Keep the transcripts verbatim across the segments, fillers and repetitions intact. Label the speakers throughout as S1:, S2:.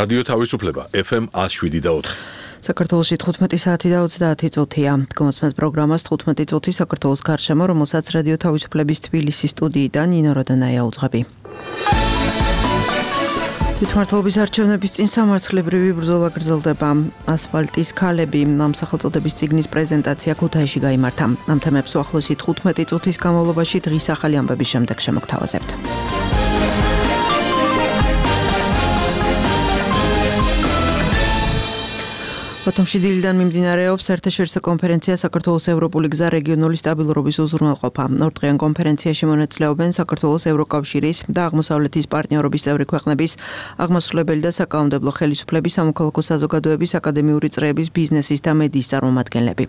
S1: რადიო თავისუფლება ეფ ემ ათს შვიდი და ოთხი.
S2: საქართველოში თხუთმეტი საათი და ოცდაათი წუთია. გმოსმენთ პროგრამას თხუთმეტი წუთი საქართველოს გარშემო, რომელსაც რადიო თავისუფლების თბილისის სტუდიიდან ნინო როდანაია უძღვები. თვითმმართველობის არჩევნების წინ სამართლებრივი ბრძოლა გრძელდება. ასფალტის ქალები ამ სახელწოდების წიგნის პრეზენტაცია ქუთაისში გაიმართა. ამ თემებს უახლოესი თხუთმეტი წუთის განმავლობაში დღის ახალი ამბების შემდეგ შემოგთავაზებთ. ბათუმში დილიდან მიმდინარეობს საერთაშორისო კონფერენცია საქართველოს ევროპული გზა რეგიონული სტაბილურობის უზრუნველყოფა. ორდღიან კონფერენციაში მონაწილეობენ საქართველოს ევროკავშირის და აღმოსავლეთის პარტნიორობის წევრი ქვეყნების აღმასრულებელი და საკანონმდებლო ხელისუფლების, სამოქალაქო საზოგადოების, აკადემიური წრეების, ბიზნესის და მედიის წარმომადგენლები.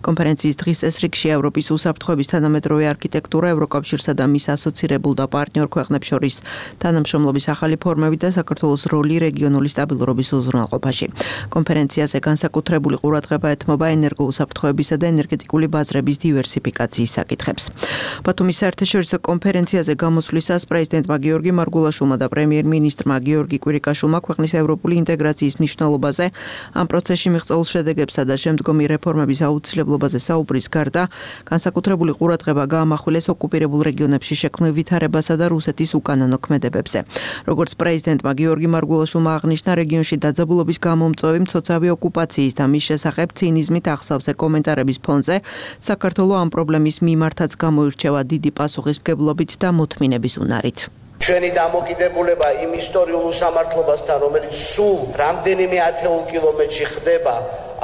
S2: კონფერენციის დღის წესრიგში ევროპის უსაფრთხოების თანამედროვე არქიტექტურა, ევროკავშირსა და მის ასოცირებულ და პარტნიორ ქვეყნებს შორის თანამშრომლობის ახალი ფორმები და საქართველოს როლი რეგიონული სტაბილურობის უზრუნველყოფაში. კონფერენციაზე საკუთრებული ყურადღება ეთმობა ენერგოუსაფრთხოებისა და ენერგეტიკული ბაზრების დივერსიფიკაციის საკითხებს. ბათუმის საერთაშორისო კონფერენციაზე გამოსვლისას პრეზიდენტმა გიორგი მარგულაშვილმა და პრემიერ-მინისტრმა გიორგი კვირიკაშვილმა ქვეყნის ევროპული ინტეგრაციის მნიშვნელობაზე, ამ პროცესში მიღწეულ შედეგებსა და შემდგომი რეფორმების აუცილებლობაზე საუბრის გარდა, განსაკუთრებული ყურადღება გაამახვილეს ოკუპირებულ რეგიონებში შექმნილ ვითარებასა და რუსეთის უკანონო ქმედებებზე. როგორც პრეზიდენტმა გიორგი მარგულაშვილმა აღნიშნა, რეგიონში დაძაბულობის გამომწვევი მცოცავი ოკუპაცია და მის შესახებ ცინიზმით ახსავსე კომენტარების ფონზე საქართველო ამ პრობლემის მიმართაც გამოირჩევა დიდი პასუხისმგებლობით და მოთმინების უნარით.
S3: ჩვენი დამოკიდებულება იმ ისტორიულ უსამართლობასთან, რომელიც სულ რამდენიმე ათეულ კილომეტრში ხდება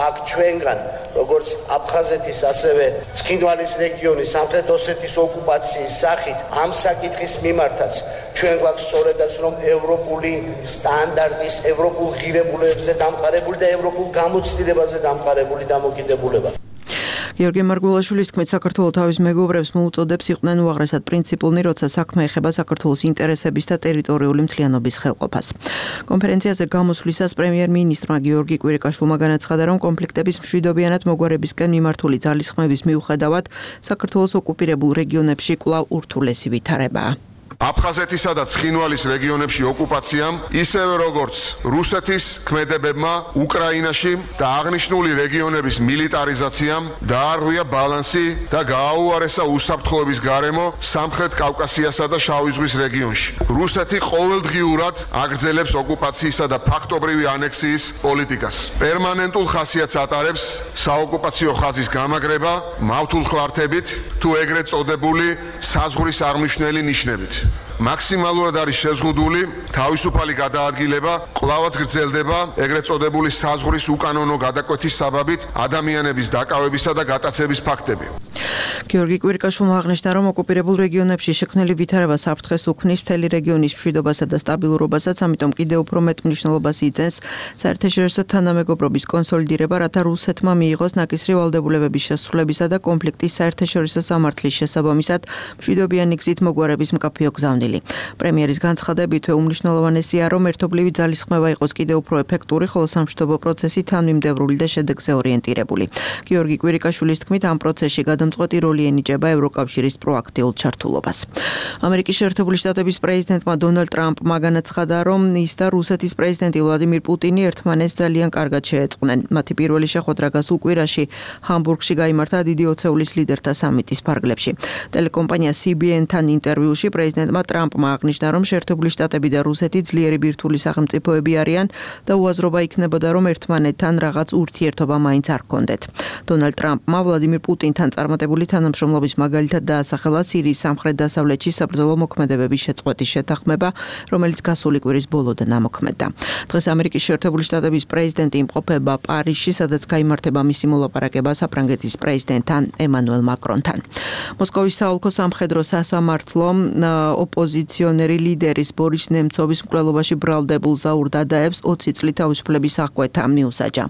S3: აქ ჩვენგან, როგორც აფხაზეთის, ასევე ცხინვალის რეგიონის, სამხრეთ ოსეთის ოკუპაციის სახით, ამ საკითხის მიმართაც ჩვენ გვაქვს სწორედაც რომ ევროპული სტანდარტის, ევროპულ ღირებულებებზე დამყარებული და ევროპულ გამოცდილებაზე დამყარებული დამოკიდებულება.
S2: გიორგი მარგულაშვილის თქმით, საქართველო თავის მეგობრებს მოუწოდებს იყვნენ უაღრესად პრინციპულნი, როცა საქმე ეხება საქართველოს ინტერესების და ტერიტორიული მთლიანობის ხელყოფას. კონფერენციაზე გამოსვლისას პრემიერ-მინისტრმა გიორგი კვირიკაშვილმა განაცხადა, რომ კონფლიქტების მშვიდობიანად მოგვარებისკენ მიმართული ძალისხმევის მიუხედავად, საქართველოს ოკუპირებულ რეგიონებში კვლავ ურთულესი ვითარებაა.
S4: აფხაზეთისა და ცხინვალის რეგიონებში ოკუპაციამ, ისევე როგორც რუსეთის ქმედებებმა უკრაინაში და აღნიშნული რეგიონების მილიტარიზაციამ დაარღვია ბალანსი და გააუარესა უსაფრთხოების გარემო სამხრეთ კავკასიასა და შავი ზღვის რეგიონში. რუსეთი ყოველდღიურად აგრძელებს ოკუპაციისა და ფაქტობრივი ანექსიის პოლიტიკას. პერმანენტულ ხასიათს ატარებს საოკუპაციო ხაზის გამაგრება მავთულ ხლართებით თუ ეგრეთ წოდებული საზღვრის აღმნიშვნელი ნიშნებით. მაქსიმალურად არის შეზღუდული თავისუფალი გადაადგილება, კვლავაც გრძელდება ეგრეთ წოდებული საზღვრის უკანონო გადაკვეთის საბაბით ადამიანების დაკავებისა და გატაცების ფაქტები.
S2: გიორგი კვირიკაშვილმა აღნიშნა, რომ ოკუპირებულ რეგიონებში შექმნილი ვითარება საფრთხეს უქმნის მთელი რეგიონის მშვიდობასა და სტაბილურობასაც, ამიტომ კიდევ უფრო მეტ მნიშვნელობას იძენს საერთაშორისო თანამეგობრობის კონსოლიდირება, რათა რუსეთმა მიიღოს ნაკისრი ვალდებულებების შესრულებისა და კონფლიქტის საერთაშორისო სამართლის შესაბამისად მშვიდობიანი გზით მოგვარების მკაფიო გზავნილი. პრემიერის განცხადებით, უმნიშვნელოვანესია, რომ ერთობლივი ძალისხმევა იყოს კიდევ უფრო ეფექტური, ხოლო სამშვიდობო პროცესი თანმიმდევრული და შედეგზე ორიენტირებული. გიორგი კვირიკაშვილის თქმით, ამ პროცესში გადამწყვეტი როლი ენიჭება ევროკავშირის პროაქტიულ ჩართულობას. ამერიკის შეერთებული შტატების პრეზიდენტმა დონალდ ტრამპმა განაცხადა, რომ ის და რუსეთის პრეზიდენტი ვლადიმირ პუტინი ერთმანეთს ძალიან კარგად შეეწყვნენ. მათი პირველი შეხვედრა გასულ კვირაში ჰამბურგში გაიმართა დიდი ოცეულის ლიდერთა სამიტის ფარგლებში. ტელეკომპანია სი ბი ენ-თან ინტერვიუში პრეზიდენტმა ტრამპმა აღნიშნა, რომ შეერთებული შტატები და რუსეთი ძლიერი ბირთვული სახელმწიფოები არიან და უაზრობა იქნებოდა, რომ ერთმანეთთან რაღაც ურთიერთობა მაინც არ ჰქონდეთ. დონალდ ტრამპმა ვლადიმირ პუტინთან წარმატებული თანამშრომლობის მაგალითად დაასახელა სირიის სამხრეთ-დასავლეთში საბრძოლო მოქმედებების შეწყვეტის შეთანხმება, რომელიც გასული კვირის ბოლოდან ამოქმედდა. დღეს ამერიკის შეერთებული შტატების პრეზიდენტი იმყოფება პარიზში, სადაც გაიმართება მისი მოლაპარაკება საფრანგეთის პრეზიდენტთან ემანუელ მაკრონთან. მოსკოვის საოლქო სამხედრო სასამართლო ოპოზიციონერი ლიდერის ბორის ნემცოვის მკვლელობაში ბრალდებულ ზაურ დადაევს ოცი წლით თავისუფლების აღკვეთა მიუსაჯა.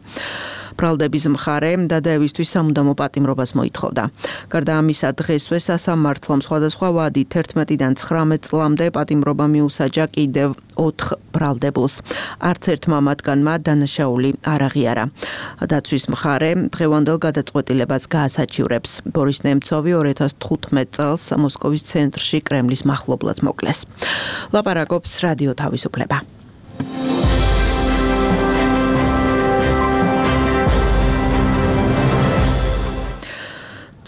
S2: ბრალდების მხარე დადაევისთვის სამუდამო პატიმრობას მოითხოვდა. გარდა ამისა, დღესვე სასამართლომ სხვადასხვა ვადით ერთმეტიდან ცხრამეტ წლამდე პატიმრობა მიუსაჯა კიდევ ოთხ ბრალდებულს. არც ერთმა მათგანმა დანაშაული არ აღიარა. დაცვის მხარე დღევანდელ გადაწყვეტილებას გაასაჩივრებს. ბორის ნემცოვი ორი ათას თხუთმეტ წელს მოსკოვის ცენტრში კრემლის მახლობლად მოკლეს. ლაპარაკობს რადიო თავისუფლება.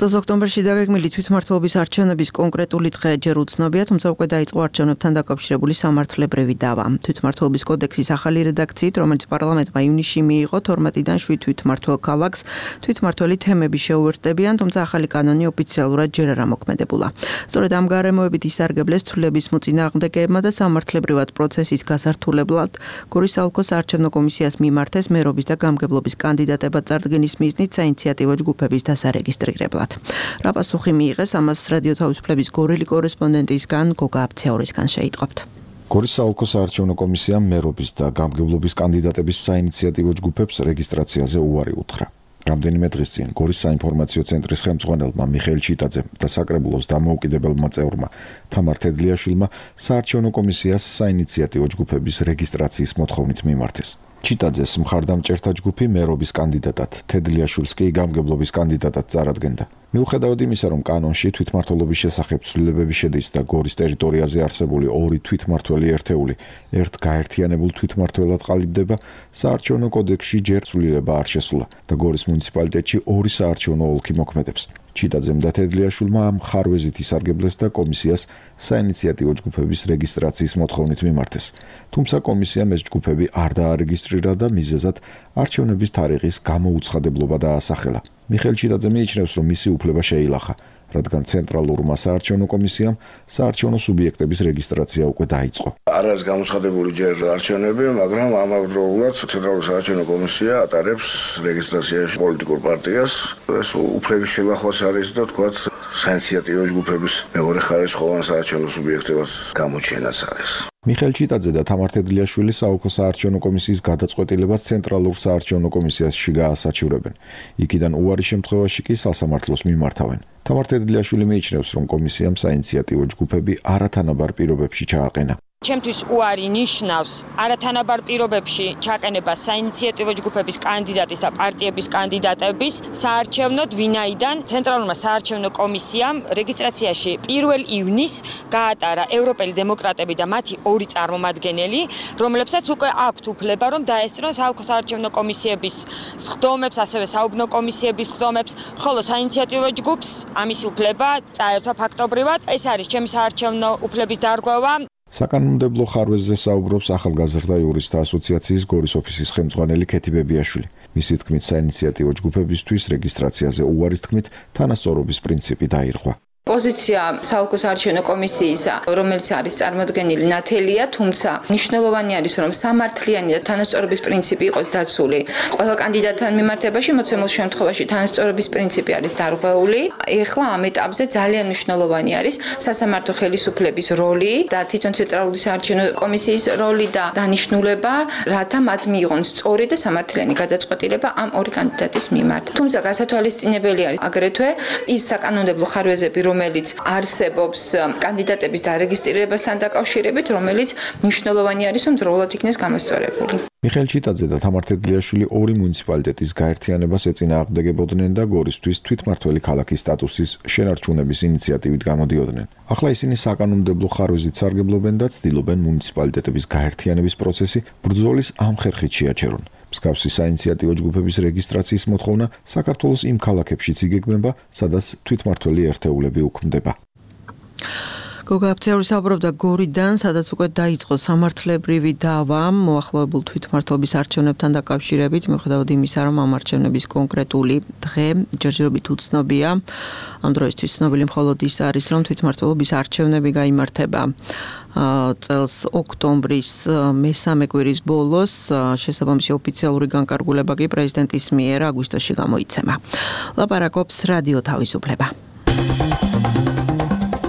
S2: წელს ოქტომბერში დაგეგმილი თვითმმართველობის არჩევნების კონკრეტული დღე ჯერ უცნობია, თუმცა უკვე დაიწყო არჩევნებთან დაკავშირებული სამართლებრივი დავა. თვითმმართველობის კოდექსის ახალი რედაქციით, რომელიც პარლამენტმა ივნისში მიიღო, თორმეტიდან შვიდ თვითმმართველ ქალაქს თვითმმართველი თემები შეუერთდებიან, თუმცა ახალი კანონი ოფიციალურად ჯერ არ ამოქმედებულა. სწორედ ამ გარემოებით ისარგებლეს ცვლილებების მოწინააღმდეგეებმა და სამართლებრივად პროცესის გასართულებლად გორის საოლქო საარჩევნო კომისიას მიმართეს მერობის და გამგებლობის კანდიდატებად წარდგენის მიზნით საინიციატივო ჯგუფების დასარეგისტრირებლად. რა პასუხი მიიღეს, ამას რადიო თავისუფლების გორელი კორესპონდენტისგან გოგა აბცეორისგან შეიტყობთ.
S5: გორის საოლქო საარჩევნო კომისიამ მერობის და გამგებლობის კანდიდატების საინიციატივო ჯგუფებს რეგისტრაციაზე უარი უთხრა. რამდენიმე დღის წინ გორის საინფორმაციო ცენტრის ხელმძღვანელმა მიხეილ ჩიტაძემ და საკრებულოს დამოუკიდებელმა წევრმა თამარ თედლიაშვილმა საარჩევნო კომისიას საინიციატივო ჯგუფების რეგისტრაციის მოთხოვნით მიმართეს. ჩიტაძეს მხარდამჭერთა ჯგუფი მერობის კანდიდატად, თედლიაშვილს კი გამგებლობის კანდიდატად წარადგენდა. მიუხედავად იმისა, რომ კანონში თვითმმართველობის შესახებ ცვლილებები შედის და გორის ტერიტორიაზე არსებული ორი თვითმმართველი ერთეული ერთ გაერთიანებულ თვითმმართველად ყალიბდება, საარჩევნო კოდექსში ჯერ ცვლილება არ შესულა და გორის მუნიციპალიტეტში ორი საარჩევნო ოლქი მოქმედებს. ჩიტაძემ და თედლიაშვილმა ამ ხარვეზით ისარგებლეს და კომისიას საინიციატივო ჯგუფების რეგისტრაციის მოთხოვნით მიმართეს. თუმცა კომისიამ ეს ჯგუფები არ დაარეგისტრირა და მიზეზად არჩევნების თარიღის გამოუცხადებლობა დაასახელა. მიხეილ ჩიტაძე მიიჩნევს, რომ მისი უფლება შეილახა, რადგან ცენტრალურმა საარჩევნო კომისიამ საარჩევნო სუბიექტების რეგისტრაცია უკვე დაიწყო.
S6: არ არის გამოცხადებული ჯერ არჩევნები, მაგრამ ამავდროულად ცენტრალური საარჩევნო კომისია ატარებს რეგისტრაციაში პოლიტიკურ პარტიას. ეს უფლების შელახვაც არის და თქვათ საინიციატივო ჯგუფების მეორე ხარისხოვან საარჩევნო სუბიექტებას გამოჩენაც არის.
S5: მიხეილ ჩიტაძე და თამარ თედლიაშვილი საოლქო საარჩევნო კომისიის გადაწყვეტილებას ცენტრალურ საარჩევნო კომისიაში გაასაჩივრებენ. იქიდან უარის შემთხვევაში კი სასამართლოს მიმართავენ. თამარ თედლიაშვილი მიიჩნევს, რომ კომისიამ საინიციატივო ჯგუფები არათანაბარ პირობებში ჩააყენა.
S7: ჩემთვის უარი ნიშნავს არათანაბარ პირობებში ჩაყენება საინიციატივო ჯგუფების კანდიდატის და პარტიების კანდიდატების საარჩევნოდ, ვინაიდან ცენტრალურმა საარჩევნო კომისიამ რეგისტრაციაში პირველ ივნისს გაატარა ევროპელი დემოკრატები და მათი ორი წარმომადგენელი, რომლებსაც უკვე აქვთ უფლება, რომ დაესწრონ საოლქო საარჩევნო კომისიების სხდომებს, ასევე საუბნო კომისიების სხდომებს, ხოლო საინიციატივო ჯგუფს ამის უფლება წაერთვა ფაქტობრივად. ეს არის ჩემი საარჩევნო უფლების დარღვევა.
S5: საკანონმდებლო ხარვეზზე საუბრობს ახალგაზრდა იურისტთა ასოციაციის გორის ოფისის ხელმძღვანელი ქეთი ბებიაშვილი. მისი თქმით, საინიციატივო ჯგუფებისთვის რეგისტრაციაზე უარის თქმით თანასწორობის პრინციპი დაირღვა.
S8: პოზიცია საოლქო საარჩევნო კომისიისა, რომელიც არის წარმოდგენილი ნათელია, თუმცა მნიშვნელოვანი არის, რომ სამართლიანი და თანასწორობის პრინციპი იყოს დაცული. ყველა კანდიდატთან მიმართებაში მოცემულ შემთხვევაში თანასწორობის პრინციპი არის დარღვეული. ეხლა ამ ეტაპზე ძალიან მნიშვნელოვანი არის სასამართლო ხელისუფლების როლი და თვითონ ცენტრალური საარჩევნო კომისიის როლი და დანიშნულება, რათა მათ მიიღონ სწორი და სამართლიანი გადაწყვეტილება ამ ორი კანდიდატის მიმართ. თუმცა გასათვალისწინებელი არის აგრეთვე ის საკანონმდებლო ხარვეზები, რომელიც არსებობს კანდიდატების დარეგისტრირებასთან დაკავშირებით, რომელიც მნიშვნელოვანი არის, რომ დროულად იქნეს გამოსწორებული.
S5: მიხეილ ჩიტაძე და თამარ თედლიაშვილი ორი მუნიციპალიტეტის გაერთიანებას ეწინააღმდეგებოდნენ და გორისთვის თვითმმართველი ქალაქის სტატუსის შენარჩუნების ინიციატივით გამოდიოდნენ. ახლა ისინი საკანონმდებლო ხარვეზით სარგებლობენ და ცდილობენ მუნიციპალიტეტების გაერთიანების პროცესი ბრძოლის ამ ხერხით შეაჩერონ. მსგავსი საინიციატივო ჯგუფების რეგისტრაციის მოთხოვნა საქართველოს იმ ქალაქებშიც იგეგმება, სადაც თვითმმართველი ერთეულები უქმდება.
S2: გოგა აბცეორი საუბრობდა გორიდან, სადაც უკვე დაიწყო სამართლებრივი დავა მოახლოებულ თვითმმართველობის არჩევნებთან დაკავშირებით, მიუხედავად იმისა, რომ ამ არჩევნების კონკრეტული დღე ჯერჯერობით უცნობია. ამ დროისთვის ცნობილი მხოლოდ ის არის, რომ თვითმმართველობის არჩევნები გაიმართება წელს ოქტომბრის მესამე კვირის ბოლოს, შესაბამისი ოფიციალური განკარგულება კი პრეზიდენტის მიერ აგვისტოში გამოიცემა. ლაპარაკობს რადიო თავისუფლება.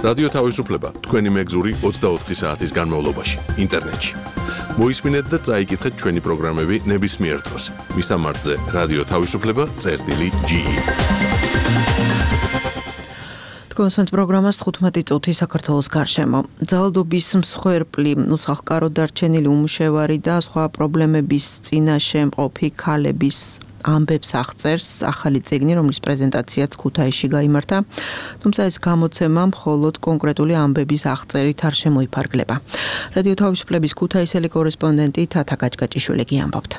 S1: რადიო თავისუფლება თქვენი მეგზური ოცდაოთხი საათის განმავლობაში ინტერნეტში. მოისმინეთ და წაიკითხეთ ჩვენი პროგრამები ნებისმიერ დროს. მისამართზე რადიო თავისუფლება წერტილი ჯი ი.
S2: კონსვენთ პროგრამას თხუთმეტი წუთი საქართველოს გარშემო. ძალადობის მსხვერპლი, უსახლკაროდ დარჩენილი უმუშევარი და სხვა პრობლემების წინაშე მყოფი ქალების ამბებს აღწერს ახალი წიგნი, რომლის პრეზენტაციაც ქუთაისში გაიმართა, თუმცა ეს გამოცემა მხოლოდ კონკრეტული ამბების აღწერით არ შემოიფარგლება. რადიო თავისუფლების ქუთაისელი კორესპონდენტი თათა გაჭგაჭიშვილი კი ამბობთ.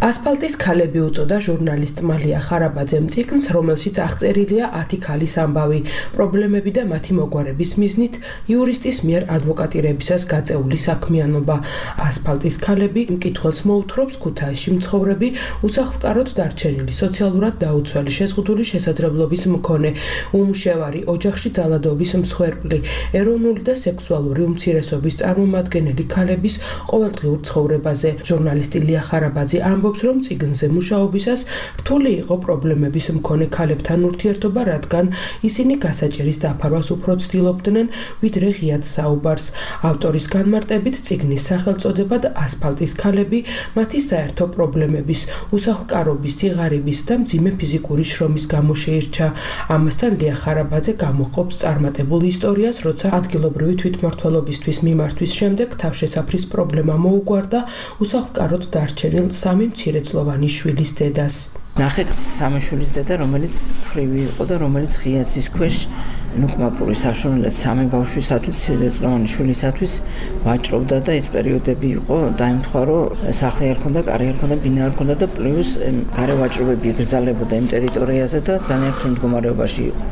S9: ასფალტის ქალები უწოდა ჟურნალისტმა ლია ხარაბაძემ წიგნს, რომელშიც აღწერილია ათი ქალის ამბავი, პრობლემები და მათი მოგვარების მიზნით იურისტის მიერ ადვოკატირებისას გაწეული საქმიანობა. ასფალტის ქალები მკითხველს მოუთხრობს ქუთაისში მცხოვრები, უსახლკაროდ დარჩენილი, სოციალურად დაუცველი, შეზღუდული შესაძლებლობის მქონე, უმუშევარი, ოჯახში ძალადობის მსხვერპლი, ეროვნული და სექსუალური უმცირესობის წარმომადგენელი ქალების ყოველდღიურ ცხოვრებაზე. ჟურნალისტი ლია ხარაბაძე ამბობს, რომ წიგნზე მუშაობისას რთული იყო პრობლემების მქონე ქალებთან ურთიერთობა, რადგან ისინი გასაჭირის დაფარვას უფრო ცდილობდნენ, ვიდრე ღიად საუბარს. ავტორის განმარტებით წიგნის სახელწოდებად ასფალტის ქალები მათი საერთო პრობლემების, უსახლკარობის, სიღარიბის და მძიმე ფიზიკური შრომის გამო შეირჩა. ამასთან ლია ხარაბაძე გამოყოფს წარმატებულ ისტორიას, როცა ადგილობრივი თვითმმართველობისთვის მიმართვის შემდეგ თავშესაფრის პრობლემა მოუგვარდა უსახლკაროდ დარჩენილ სამი მცირეწლოვანი შვილის დედას.
S10: ნახე სამი შვილის დედა, რომელიც ფრივი იყო და რომელიც ღიაცის ქვეშ ნუკმაპური საშუალებით სამი ბავშვისათვის, მცირეწლოვანი შვილისათვის ვაჭრობდა და ეს პერიოდები იყო, დაემთხვა, რომ სახლი არ ქონდა, კარი არ ქონდა, ბინა არ ქონდა და პლუს გარე ვაჭრობები იგრძალებოდა იმ ტერიტორიაზე და ძალიან რთულ მდგომარეობაში იყო.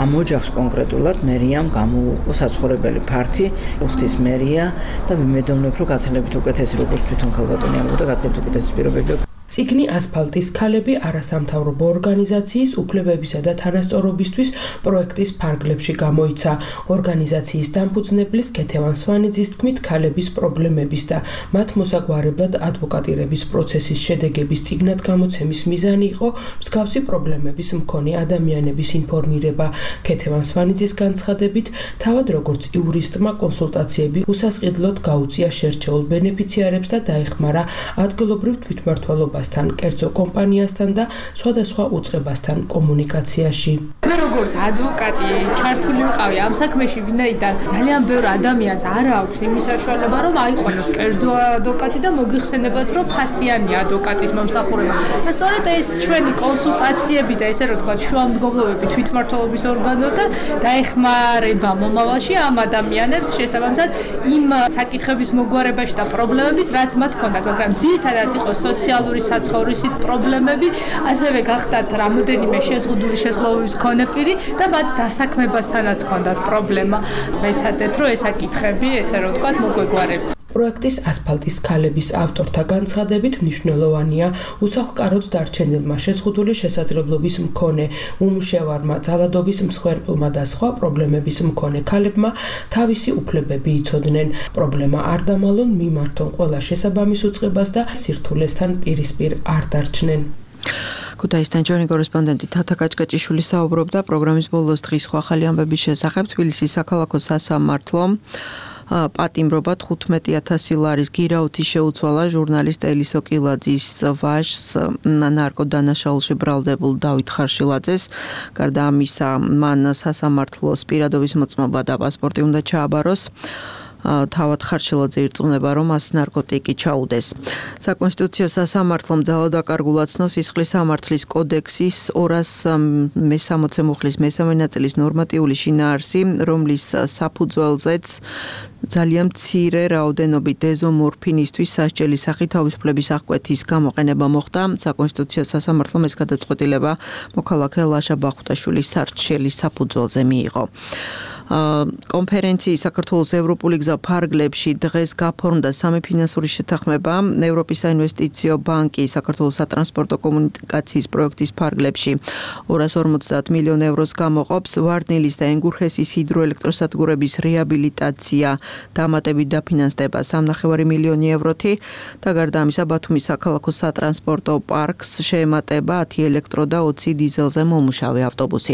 S10: ამ ოჯახს კონკრეტულად მერიამ გამოუყო საცხოვრებელი ფართი, უხთის მერია და მიმედოვნებ, რომ გაცილებით უკეთესი, როგორც თვითონ ქალბატონი ამბობდა, გაცილებით უკეთესი პირობები.
S9: წიგნი ასფალტის ქალები არასამთავრობო ორგანიზაციის უფლებებისა და თანასწორობისთვის პროექტის ფარგლებში გამოიცა. ორგანიზაციის დამფუძნებლის ქეთევან სვანიძის თქმით, ქალების პრობლემების და მათ მოსაგვარებლად ადვოკატირების პროცესის შედეგების წიგნად გამოცემის მიზანი იყო მსგავსი პრობლემების მქონე ადამიანების ინფორმირება. ქეთევან სვანიძის განცხადებით, თავად როგორც იურისტმა კონსულტაციები უსასყიდლოდ გაუწია შერჩეულ ბენეფიციარებს და დაეხმარა ადგილობრივ თვითმმართველობას კერძო კომპანიასთან და სხვადასხვა უწყებასთან კომუნიკაციაში.
S11: მე როგორც ადვოკატი ჩართული ვიყავი ამ საქმეში, ვინაიდან ძალიან ბევრ ადამიანს არ აქვს იმის საშუალება, რომ აიყვანოს კერძო ადვოკატი და მოგიხსენებათ, რომ ფასიანი ადვოკატის მომსახურება. და სწორედ ეს ჩვენი კონსულტაციები და ესე რომ თქვა შუამდგომლობები თვითმმართველობის ორგანოებთან დაეხმარება მომავალში ამ ადამიანებს შესაბამისად იმ საკითხების მოგვარებაში და პრობლემების, რაც მათ ჰქონდათ, მაგრამ ძირითადად იყო სოციალური საცხოვრისით პრობლემები, ასევე გახდათ რამოდენიმე შეზღუდული შესაძლებლობის მქონე პირი და მათ დასაქმებასთანაც ჰქონდათ პრობლემა. მეცადეთ, რომ ეს საკითხები, ესე რომ ვთქვათ, მოგვეგვარება.
S9: პროექტის ასფალტის ქალების ავტორთა განცხადებით მნიშვნელოვანია უსახლკაროდ დარჩენილმა, შეზღუდული შესაძლებლობის მქონე, უმუშევარმა, ძალადობის მსხვერპლმა და სხვა პრობლემების მქონე ქალებმა თავისი უფლებები იცოდნენ. პრობლემა არ დამალონ, მიმართონ ყველა შესაბამის უწყებას და სირთულესთან პირისპირ არ დარჩნენ.
S2: ქუთაისთან ჩვენი კორესპონდენტი თათა კაჭკაჭიშვილი საუბრობდა პროგრამის ბოლოს დღის სხვა ახალი ამბების შესახებ. თბილისის საქალაქო სასამართლომ პატიმრობა თხუთმეტი ათასი ლარის გირაუთი შეუცვალა ჟურნალისტ ელისო კილაძის ვაჟს, ნარკოდანაშაულში ბრალდებულ დავით ხარშილაძეს. გარდა ამისა, მან სასამართლოს პირადობის მოწმობა და პასპორტი უნდა ჩააბაროს. თავად ხარშილაძე ირწმუნება, რომ მას ნარკოტიკი ჩაუდეს. საკონსტიტუციო სასამართლომ ძალადაკარგულად ცნოს სისხლის სამართლის კოდექსის ორას მესამოცე მუხლის მესამე ნაწილის ნორმატიული შინაარსი, რომლის საფუძველზეც ძალიან მცირე რაოდენობით დეზომორფინისთვის სასჯელი სახით თავისუფლების აღკვეთის გამოყენება მოხდა. საკონსტიტუციო სასამართლომ ეს გადაწყვეტილება მოქალაქე ლაშა ბახუტაშვილის სარჩელის საფუძველზე მიიღო. კონფერენციის საქართველოს ევროპული გზა ფარგლებში დღეს გაფორმდა სამი ფინანსური შეთანხმება. ევროპის საინვესტიციო ბანკი საქართველოს სატრანსპორტო კომუნიკაციის პროექტის ფარგლებში ორას ორმოცდაათ მილიონ ევროს გამოყოფს. ვარდნილის და ენგურხესის ჰიდროელექტროსადგურების რეაბილიტაცია დამატებით დაფინანსდება სამნახევარი მილიონი ევროთი და გარდა ამისა ბათუმის საქალაქო სატრანსპორტო პარკს შეემატება ათი ელექტრო და ოცი დიზელზე მომუშავე ავტობუსი.